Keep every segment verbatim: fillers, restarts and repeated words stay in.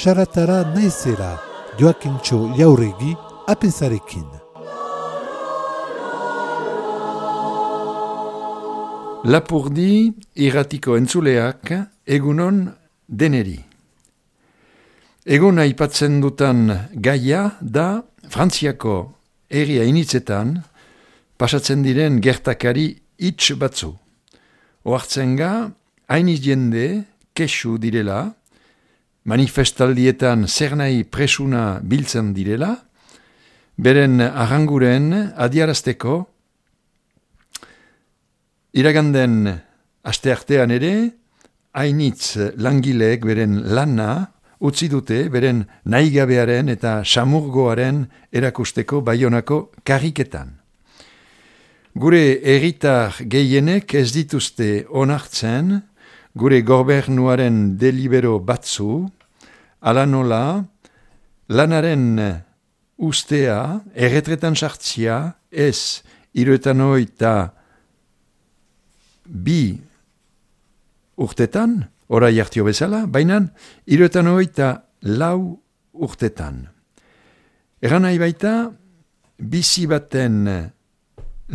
Saratara naizela, Joakintxo Jauregi, apezarekin. Lapurdi irratiko entzuleak egunon deneri. Egun aipatzen dutan gaia da Frantziako herria initzetan pasatzen diren gertakari hitz batzu. Ohartzen ga, hainiz jende kesu direla, manifestaldietan zer nahi presuna biltzen direla, beren arranguren adiarazteko, iraganden asteartean ere, hainitz langileek beren lana utzi dute beren nahigabearen eta samurgoaren erakusteko Baionako karriketan. Gure herritar gehienek ez dituzte onartzen gure gobernuaren delibero batzu, ala nola, lanaren ustea, erretretan sartzia, ez hiruetan hogeita bi urtetan, orai hartio bezala, baina hiruetan hogeita lau urtetan. Eran nahi baita, bizi baten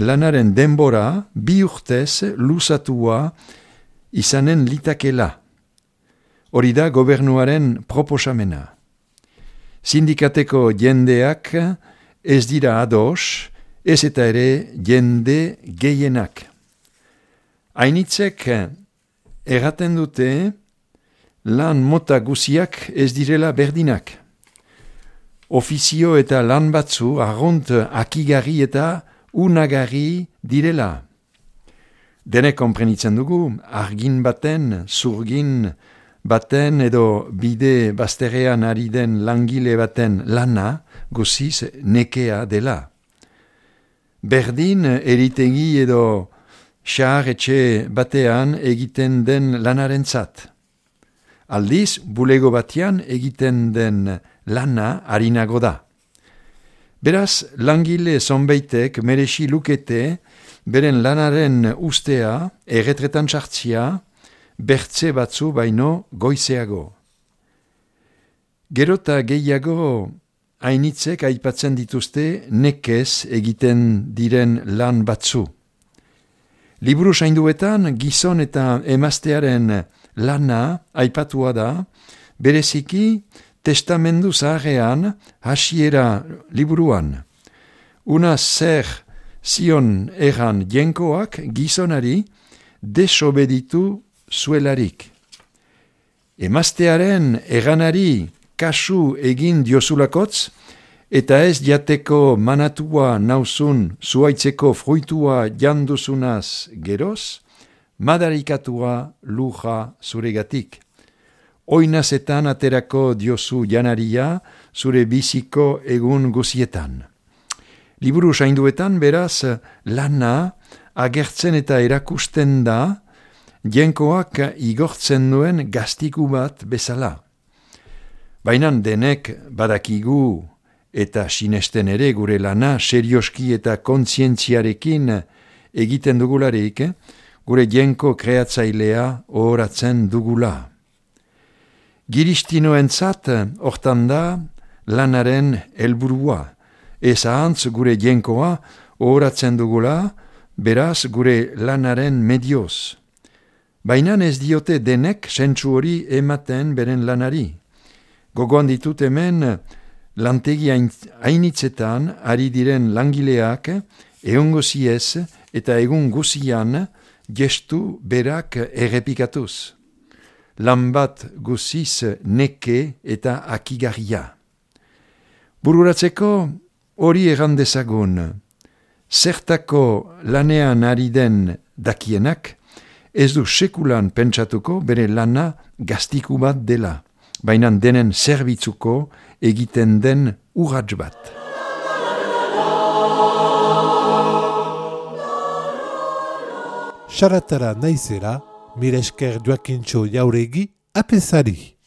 lanaren denbora bi urtez luzatua izanen litakela. Hori da gobernuaren proposamena. Sindikateko jendeak ez dira ados, ez eta ere jende gehienak. Hainitzek erraten dute lan mota guziak ez direla berdinak. Ofizio eta lan batzu arrunt akigarri eta unagarri direla. Denek konprenitzen dugu, argin baten, zurgin baten edo bide bazterrean ari den langile baten lana guziz nekea dela. Berdin eritegi edo xahar etxe batean egiten den lanarentzat. Aldiz, bulego batean egiten den lana harinago da. Beraz, langile zonbeitek merexi lukete beren lanaren ustea, erretretan sartzia, bertze batzu baino goizeago. Gerota gehiago hainitzek aipatzen dituzte nekez egiten diren lan batzu. Liburu zainduetan gizon eta emaztearen lana aipatua da, bereziki testamendu zaharrean hasiera liburuan. Una zer zion erran jenkoak gizonari desobeditu zuelarik. Emaztearen erranari kasu egin diozulakotz, eta ez jateko manatua nauzun zuaitzeko fruitua janduzunaz geroz, madarikatua luja zuregatik. Oinazetan aterako diozu janaria zure biziko egun guzietan. Liburu zainduetan beraz lana agertzen eta erakusten da jenkoak igortzen duen gaztiku bat bezala. Baina denek badakigu eta sinesten ere gure lana serioski eta kontzientziarekin egiten dugularik, gure jenko kreatzailea ohoratzen dugula. Giristinoentzat hortan da lanaren helburua. Ez ahantz gure jenkoa ohoratzen dugula, beraz gure lanaren medioz. Baina ez diote denek sentsu hori ematen beren lanari. Gogoan ditut hemen lantegi hainitzetan ari diren langileak eongoziez eta egun guzian gestu berak errepikatuz. Lan bat guziz neke eta akigarria. Bururatzeko hori errandezagun, zertako lanean ari den dakienak, ez du sekulan pentsatuko bere lana gaztiku bat dela, baina denen zerbitzuko egiten den urrats bat. Saratara naizela, mire esker Joakintxo Jauregi, apezari.